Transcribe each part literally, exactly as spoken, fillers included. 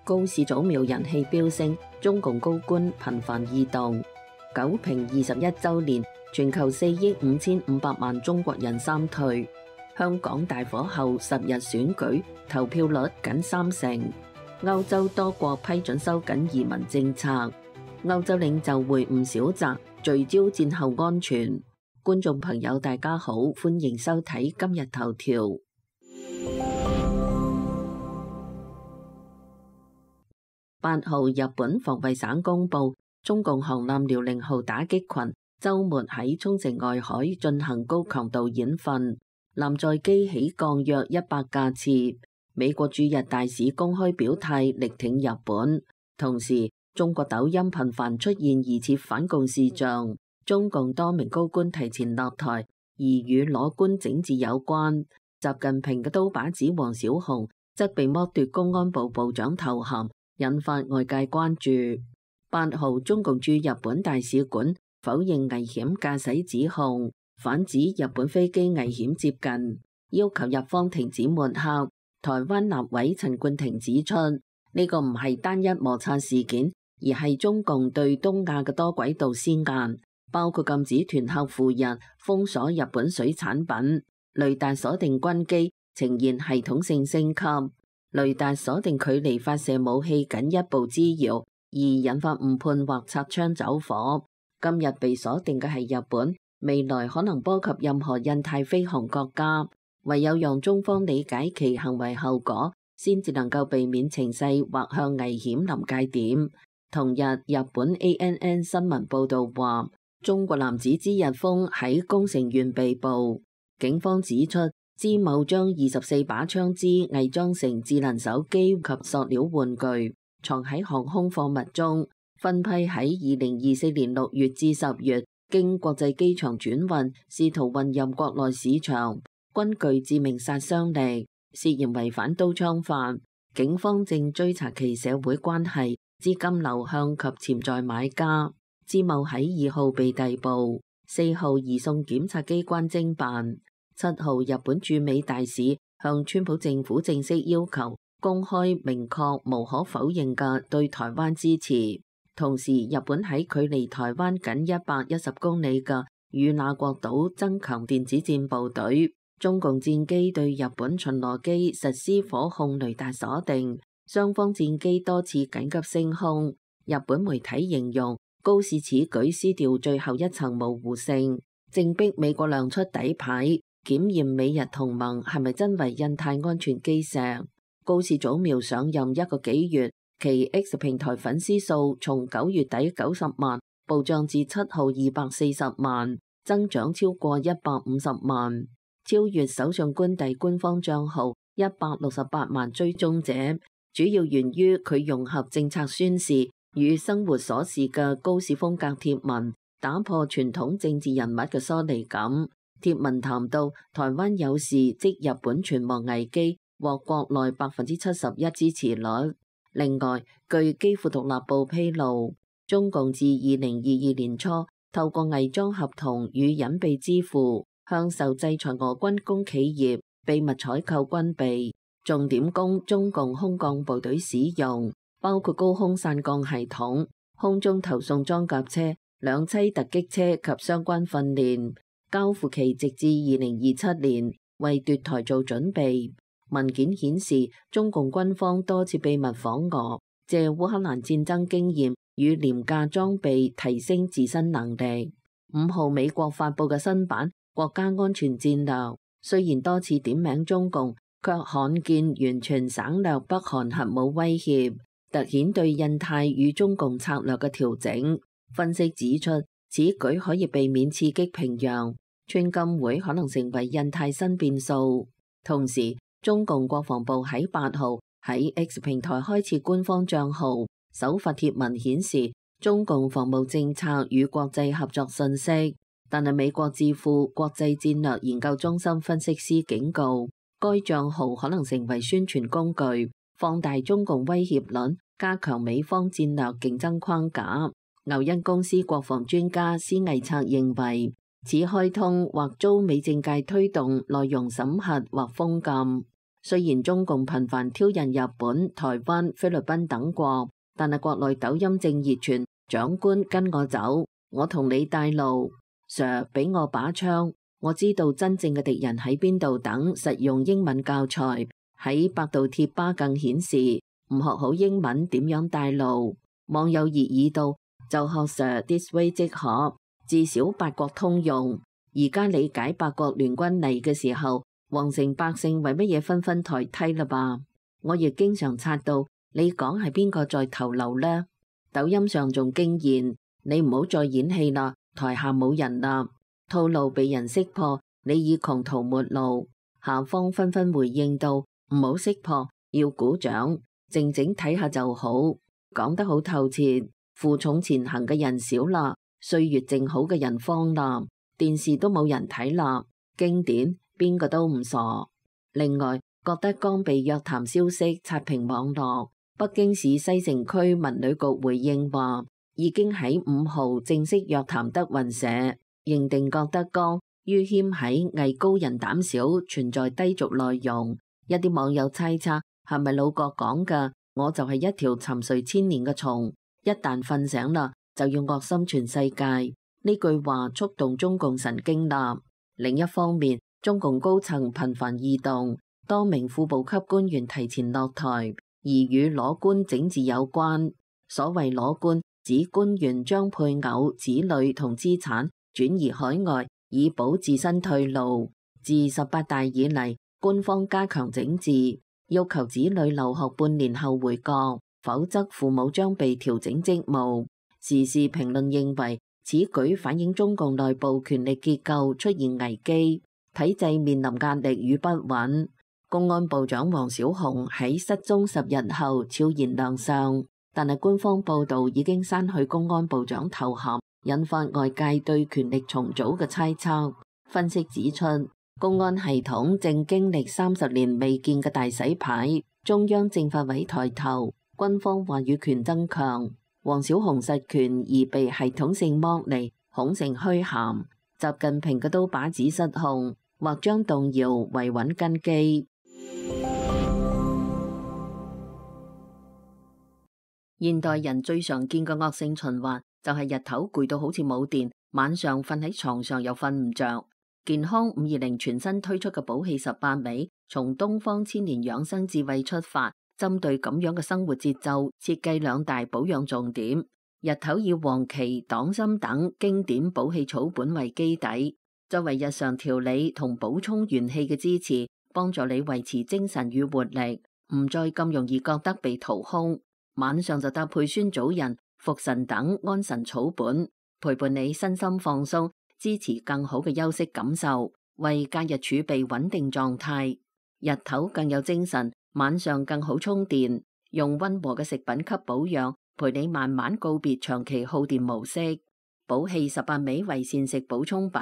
高市早苗人氣飆升，中共高官頻繁異動。九平二十一週年，全球四億五千五百萬中國人三退。香港大火後十日選舉，投票率僅三成。歐洲多國批准收緊移民政策。歐洲領袖會晤小澤，聚焦戰後安全。觀眾朋友大家好，歡迎收睇今日頭條。八號日本防衛省公布，中共航艦遼寧號打擊群週末喺沖繩外海進行高強度演訓，艦載機起降約一百架次。美國駐日大使公開表態力挺日本，同時中國抖音頻繁出現疑似反共視像，中共多名高官提前落台，疑與裸官整治有關。習近平嘅刀把子王小洪則被剝奪公安部部長頭銜，引發外界關注。八號中共駐日本大使館否認危險駕駛指控，反指日本飛機危險接近，要求日方停止抹黑。台灣立委陳冠廷指出，呢、這個唔係單一摩擦事件，而係中共對東亞嘅多軌道施壓，包括禁止團客赴日、封鎖日本水產品、雷達鎖定軍機、呈現系統性升級、雷達鎖定距離發射武器僅一步之遙，而引發誤判或擦槍走火。今日被鎖定嘅係日本，未來可能波及任何印太飛航國家，唯有讓中方理解其行為後果，先至能夠避免情勢或向危險臨界點。同日，日本 A N N 新聞報道話，中國男子支日豐喺宮城縣被捕，警方指出，支某將二十四把槍支偽裝成智能手機及塑料玩具，藏喺航空貨物中，分批喺二零二四年六月至十月經國際機場轉運，試圖運入國內市場，均具致命殺傷力，涉嫌違反刀槍法。警方正追查其社會關係、資金流向及潛在買家。支某喺二號被逮捕，四號移送檢察機關偵辦。七號日本駐美大使向川普政府正式要求公開明確無可否認嘅對台灣支持。同時，日本喺距離台灣僅一百一十公里嘅與那國島增強電子戰部隊。中共戰機對日本巡邏機實施火控雷達鎖定，雙方戰機多次緊急升空。日本媒體形容高市此舉撕掉最後一層模糊性，正逼美國亮出底牌，檢驗美日同盟係咪真為印太安全基石。高市早苗上任一個幾月，其 X 平台粉絲數從九月底九十萬暴漲至七號二百四十萬，增長超過一百五十萬，超越首相官邸官方賬號一百六十八萬追蹤者。主要源於佢融合政策宣示與生活瑣事嘅高市風格貼文，打破傳統政治人物嘅疏離感。貼文談到台灣有事即日本存亡危機，獲國內百分之七十一支持率。另外，據基輔獨立報披露，中共自二零二二年初透過偽裝合同與隱蔽支付，向受制裁俄軍工企業秘密採購軍備，重點供中共空降部隊使用，包括高空散降系統、空中投送裝甲車、兩棲突擊車及相關訓練。交付期直至二零二七年，為奪台做準備。文件顯示，中共軍方多次秘密訪俄，借烏克蘭戰爭經驗與廉價裝備提升自身能力。五號美國發佈嘅新版國家安全戰略，雖然多次點名中共，卻罕見完全省略北韓核武威脅，凸顯對印太與中共策略嘅調整。分析指出，此舉可以避免刺激平壤，川金會可能成為印太新變數。同時，中共國防部喺八號喺 X 平台開設官方賬號，首發貼文顯示中共防務政策與國際合作信息。但係美國智庫國際戰略研究中心分析師警告，該賬號可能成為宣傳工具，放大中共威脅論，加強美方戰略競爭框架。牛恩公司國防專家施毅策認為，此開通或遭美政界推動內容審核或封禁。雖然中共頻繁挑釁日本、台灣、菲律賓等國，但係國內抖音正熱傳長官跟我走，我同你帶路 ，Sir 俾我把槍，我知道真正嘅敵人喺邊度等實用英文教材，喺百度貼吧更顯示唔學好英文點樣帶路，網友熱議道就學 Sir this way 即可，至少八國通用。而家理解八國聯軍嚟嘅時候，皇城百姓為乜嘢紛紛抬梯啦吧？我亦經常刷到，你講係邊個在頭流呢？抖音上仲驚言，你唔好再演戲啦，台下冇人啦，套路被人識破，你已窮途末路。下方紛紛回應到，唔好識破，要鼓掌，靜靜睇下就好，講得好透徹。負重前行嘅人少啦，歲月靜好嘅人慌啦，電視都冇人睇啦，經典。邊個都唔傻。另外，郭德綱被約談消息刷屏網絡，北京市西城區文旅局回應話，已經喺五號正式約談德雲社，認定郭德綱于謙喺藝高人膽小，存在低俗內容。一啲網友猜測係咪老郭講㗎？我就係一條沉睡千年嘅蟲，一旦瞓醒啦，就要惡心全世界。呢句話觸動中共神經啦。另一方面，中共高層頻繁異動，多名副部級官員提前落台，而與裸官整治有關。所謂裸官，指官員將配偶、子女同資產轉移海外，以保自身退路。自十八大以嚟，官方加強整治，要求子女留學半年後回國，否則父母將被調整職務。時事評論認為，此舉反映中共內部權力結構出現危機。體制面臨壓力與不穩。公安部長王小洪喺失蹤十日後悄然亮相，但係官方報道已經刪去公安部長頭銜，引發外界對權力重組嘅猜測。分析指出，公安系統正經歷三十年未見嘅大洗牌，中央政法委抬頭，軍方話語權增強，王小洪實權而被系統性剝離，恐成虛銜。習近平嘅刀把子失控，或將動搖維穩根基。現代人最常見嘅惡性循環就係日頭攰到好似冇電，晚上瞓喺床上又瞓唔着。健康五二零全新推出嘅補氣十八味，從東方千年養生智慧出發，針對咁樣嘅生活節奏，設計兩大保養重點。日頭以黃芪、黨參等經典補氣草本為基底，作為日常調理同補充元氣嘅支持，幫助你維持精神與活力，唔再咁容易覺得被掏空。晚上就搭配酸棗仁、茯神等安神草本，陪伴你身心放鬆，支持更好嘅休息感受，為假日儲備穩定狀態。日頭更有精神，晚上更好充電。用溫和嘅食品給保養，陪你慢慢告別長期耗電模式。補氣十八味為膳食補充品，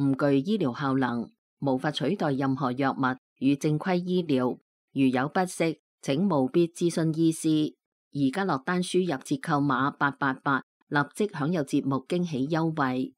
唔具醫療效能，無法取代任何藥物與正規醫療。如有不適，請務必諮詢醫師。而家落單輸入折扣碼八八八，立即享有節目驚喜優惠。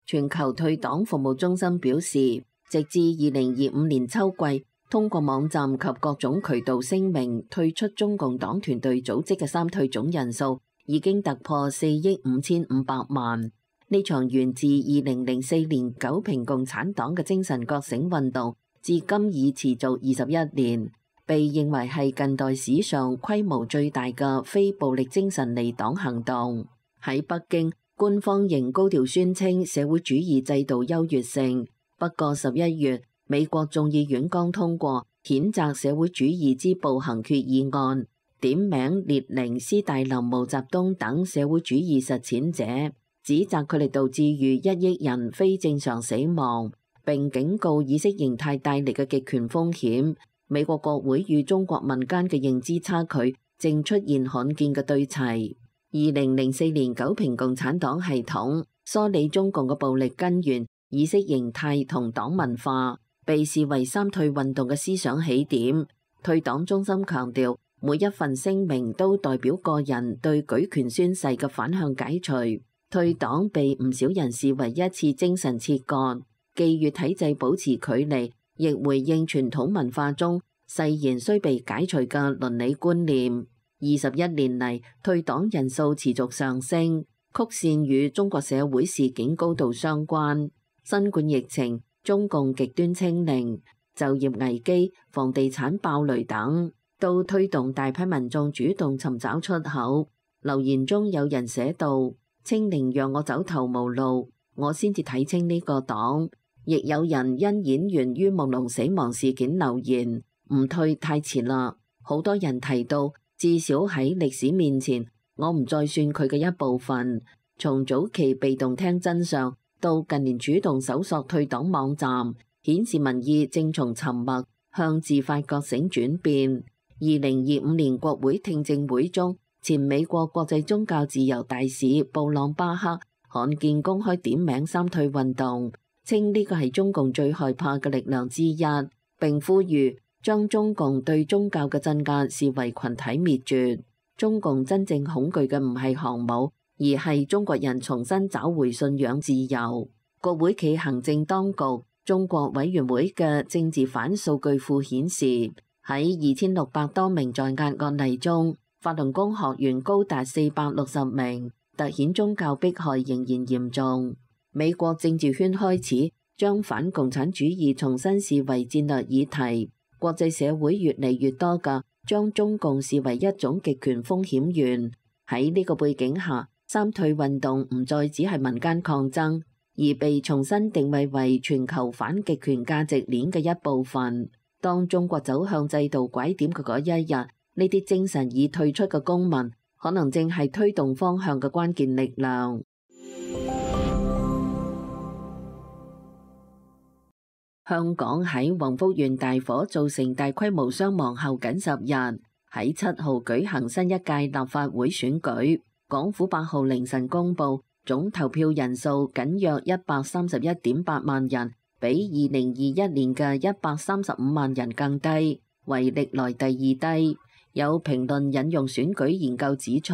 全球退黨服務中心表示，直至二零二五年秋季，通過網站及各種渠道聲明退出中共黨團隊組織嘅三退總人數已經突破四億五千五百萬。呢場源自二零零四年九平共產黨嘅精神覺醒運動，至今已持續二十一年，被認為係近代史上規模最大嘅非暴力精神離黨行動。喺北京，官方仍高調宣稱社會主義制度優越性。不過十一月，美國眾議院剛通過譴責社會主義之暴行決議案，點名列寧、斯大林、毛澤東等社會主義實踐者，指責佢哋導致逾一億人非正常死亡，並警告意識形態帶嚟嘅極權風險。美國國會與中國民間嘅認知差距正出現罕見嘅對齊。二零零四年九平共產黨系統梳理中共嘅暴力根源、意識形態同黨文化，被視為三退運動嘅思想起點。退黨中心強調，每一份聲明都代表個人對舉權宣誓嘅反向解除。退黨被唔少人視為一次精神切割。既與體制保持距離，亦回應傳統文化中誓言須被解除嘅倫理觀念。二十一年嚟，退黨人數持續上升，曲線與中國社會事件高度相關。新冠疫情、中共極端清零、就業危機、房地產爆雷等，都推動大批民眾主動尋找出口。留言中有人寫道：清零讓我走投無路，我先至睇清呢個黨。亦有人因演員于夢龍死亡事件留言：唔退太遲啦。好多人提到，至少喺歷史面前，我唔再算佢嘅一部分。從早期被動聽真相，到近年主動搜索退黨網站，顯示民意正從沉默向自發覺醒轉變。二零二五年國會聽證會中，前美國國際宗教自由大使布朗巴克罕見公開點名三退運動，稱呢個係中共最害怕嘅力量之一，並呼籲將中共對宗教嘅鎮壓視為群體滅絕。中共真正恐懼嘅唔係航母，而係中國人重新找回信仰自由。國會暨行政當局中國委員會嘅政治犯數據庫顯示，喺二千六百多名在押案例中，法輪功學員高達四百六十名，凸顯宗教迫害仍然嚴重。美國政治圈開始將反共產主義重新視為戰略議題，國際社會越嚟越多嘅將中共視為一種極權風險源。喺呢個背景下，三退運動唔再只係民間抗爭，而被重新定位為全球反極權價值鏈嘅一部分。當中國走向制度拐點嘅嗰一日，呢啲精神已退出嘅公民，可能正係推動方向嘅關鍵力量。香港喺宏福園大火造成大規模傷亡後僅十日，喺七號舉行新一屆立法會選舉。港府八號凌晨公布，總投票人數僅約一百三十一點八萬人，比二零二一年嘅一百三十五萬人更低，為歷來第二低。有評論引用選舉研究指出，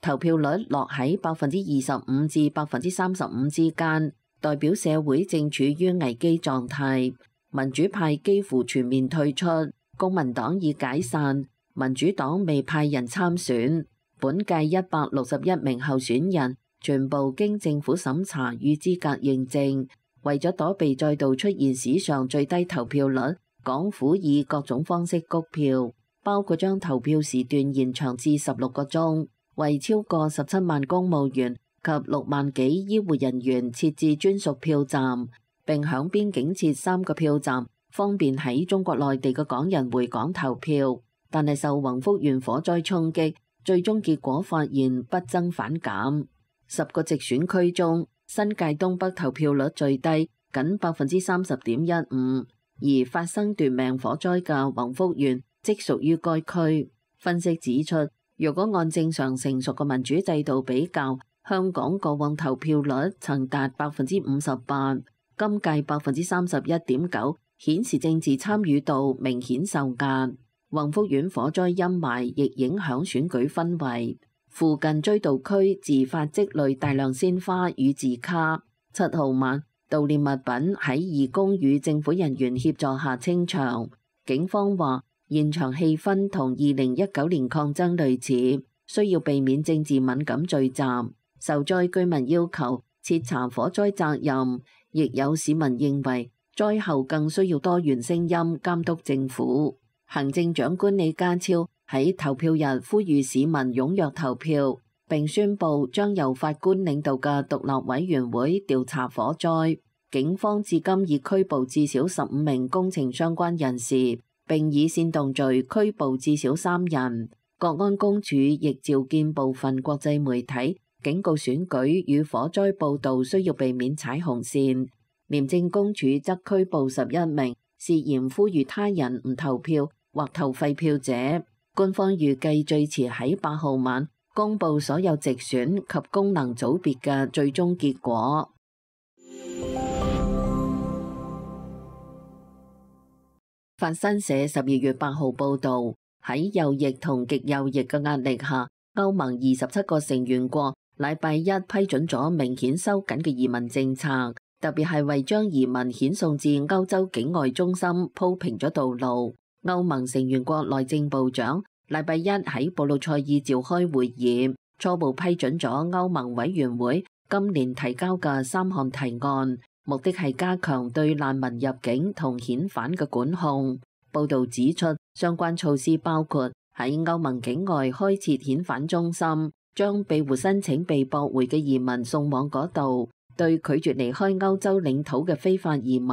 投票率落喺百分之二十五至百分之三十五之間，代表社會正處於危機狀態。民主派幾乎全面退出，公民黨已解散，民主黨未派人參選。本屆一百六十一名候選人全部經政府審查與資格認證。為咗躲避再度出現史上最低投票率，港府以各種方式谷票，包括將投票時段延長至十六個鐘，為超過十七萬公務員及六萬幾醫護人員設置專屬票站，並響邊境設三個票站，方便喺中國內地嘅港人回港投票。但係受宏福園火災衝擊，最終結果發現不增反減。十個直選區中，新界東北投票率最低，僅百分之三十點一五，而發生奪命火災嘅宏福園即屬於該區。分析指出，如果按正常成熟嘅民主制度比較，香港過往投票率曾達百分之五十八，今屆百分之三十一點九，顯示政治參與度明顯受壓。宏福園火災陰霾亦影響選舉氛圍，附近追悼區自發積累大量鮮花與字卡。七號晚，悼念物品喺義工與政府人員協助下清場。警方話，現場氣氛同二零一九年抗爭類似，需要避免政治敏感聚集。受災居民要求徹查火災責任，亦有市民認為災後更需要多元聲音監督政府。行政長官李家超喺投票日呼籲市民踴躍投票，並宣布將由法官領導嘅獨立委員會調查火災。警方至今已拘捕至少十五名工程相關人士，並以煽動罪拘捕至少三人。國安公署亦召見部分國際媒體，警告選舉與火災報導需要避免踩紅線。廉政公署則拘捕十一名涉嫌呼籲他人唔投票或投廢票者。官方預計最遲喺八號晚公佈所有直選及功能組別嘅最終結果。法新社十二月八號報導，喺右翼同極右翼嘅壓力下，歐盟二十七個成員國禮拜一批准咗明顯收緊嘅移民政策，特別係為將移民遣送至歐洲境外中心鋪平咗道路。歐盟成員國內政部長禮拜一喺布魯塞爾召開會議，初步批准咗歐盟委員會今年提交嘅三項提案，目的係加強對難民入境同遣返嘅管控。報導指出，相關措施包括喺歐盟境外開設遣返中心，將庇護申請被駁回嘅移民送往嗰度，對拒絕離開歐洲領土嘅非法移民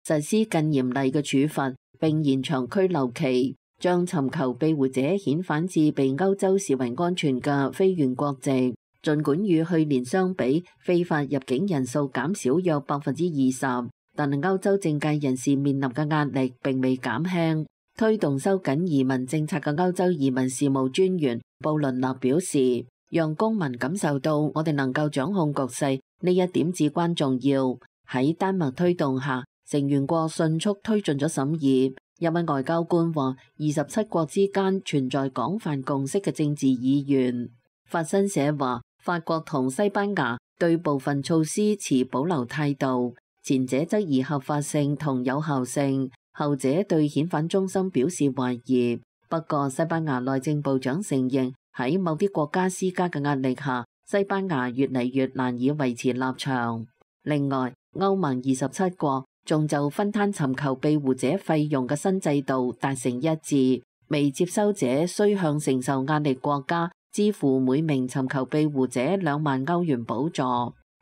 實施更嚴厲嘅處罰，並延長居留期，將尋求庇護者遣返至被歐洲視為安全嘅非原國籍。儘管與去年相比，非法入境人數減少約百分之二十，但係歐洲政界人士面臨嘅壓力並未減輕。推動收緊移民政策嘅歐洲移民事務專員布倫納表示，讓公民感受到我哋能夠掌控局勢，呢一點至關重要。喺丹麥推動下，成員國迅速推進咗審議。一位外交官話，二十七國之間存在廣泛共識嘅政治意願。法新社話，法國同西班牙對部分措施持保留態度，前者質疑合法性同有效性，後者對遣返中心表示懷疑。不過，西班牙內政部長承認喺某啲國家施加嘅壓力下，西班牙越嚟越難以維持立場。另外，歐盟二十七國仲就分攤尋求庇護者費用嘅新制度達成一致，未接收者需向承受壓力國家支付每名尋求庇護者兩萬歐元補助。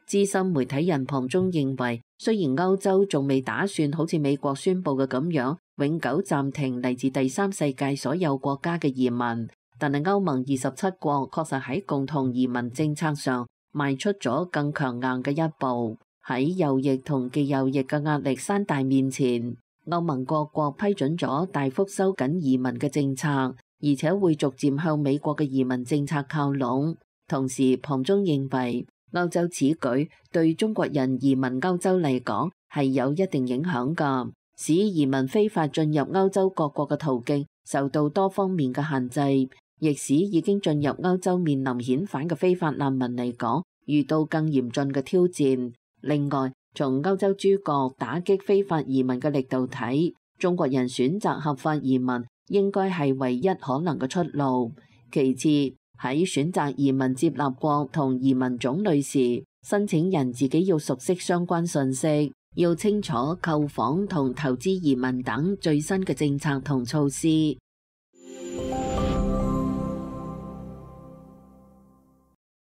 資深媒體人龐中認為，雖然歐洲仲未打算好似美國宣布嘅咁樣永久暫停嚟自第三世界所有國家嘅移民，但係歐盟二十七國確實喺共同移民政策上邁出咗更強硬嘅一步。喺右翼同極右翼嘅壓力山大面前，歐盟各國批准咗大幅收緊移民嘅政策，而且會逐漸向美國嘅移民政策靠攏。同時，龐中認為歐洲此舉對中國人移民歐洲嚟講係有一定影響㗎，使移民非法進入歐洲各國嘅途徑受到多方面嘅限制，亦使已經進入歐洲面臨遣返嘅非法難民嚟講遇到更嚴峻嘅挑戰。另外，從歐洲諸國打擊非法移民嘅力度睇，中國人選擇合法移民應該係唯一可能嘅出路。其次，喺選擇移民接納國同移民種類時，申請人自己要熟悉相關信息，要清楚購房同投資移民等最新嘅政策同措施。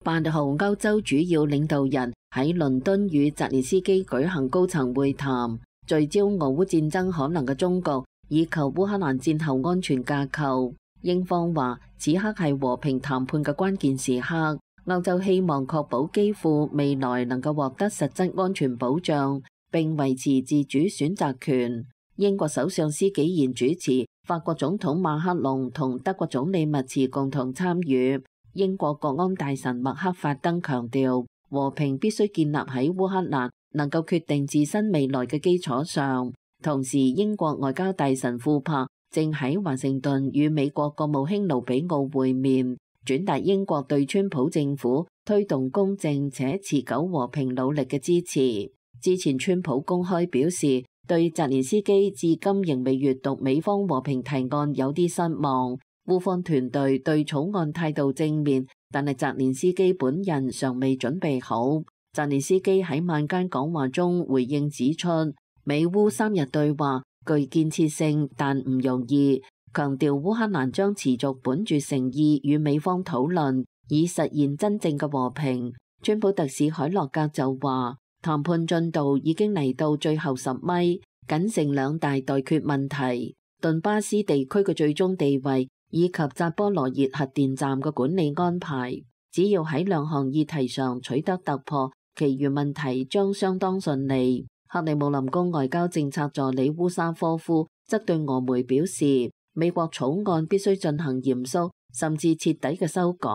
八號，歐洲主要領導人喺倫敦與澤連斯基舉行高層會談，聚焦俄烏戰爭可能嘅終局，以及烏克蘭戰後安全架構。英方話，此刻係和平談判嘅關鍵時刻，歐洲希望確保基輔未來能夠獲得實質安全保障，並維持自主選擇權。英國首相施紀賢主持，法國總統馬克龍同德國總理默茨共同參與。英國國安大臣麥克法登強調，和平必須建立喺烏克蘭能夠決定自身未來嘅基礎上。同時，英國外交大臣庫珀正喺華盛頓與美國國務卿盧比奧會面，轉達英國對川普政府推動公正且持久和平努力嘅支持。之前川普公開表示，對澤連斯基至今仍未閱讀美方和平提案有啲失望。烏方團隊對草案態度正面，但係澤連斯基本人尚未準備好。澤連斯基喺晚間講話中回應指出，美烏三日對話具建設性，但唔容易，強調烏克蘭將持續本住誠意與美方討論，以實現真正嘅和平。川普特使海洛格就話，談判進度已經嚟到最後十米，僅剩兩大待決問題：頓巴斯地區嘅最終地位，以及扎波羅熱核電站嘅管理安排。只要喺兩項議題上取得突破，其餘問題將相當順利。克里姆林宮外交政策助理烏沙科夫則對俄媒表示，美國草案必須進行嚴肅甚至徹底嘅修改。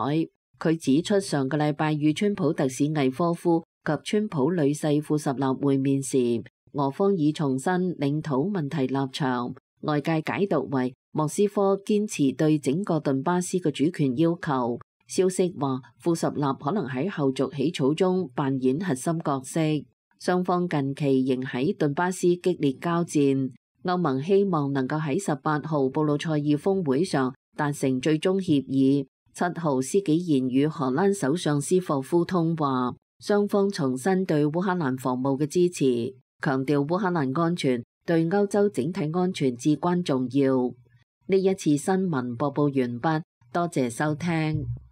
佢指出，上個禮拜與川普特使魏科夫及川普女婿庫什納會面時，俄方已重申領土問題立場，外界解讀為莫斯科堅持對整個頓巴斯嘅主權要求。消息話，庫什納可能喺後續起草中扮演核心角色。雙方近期仍喺頓巴斯激烈交戰。歐盟希望能夠喺十八號布魯塞爾峰會上達成最終協議。七號施紀賢與荷蘭首相斯霍夫通話，雙方重申對烏克蘭防務嘅支持，強調烏克蘭安全對歐洲整體安全至關重要。呢一次新聞播報完畢，多謝收聽。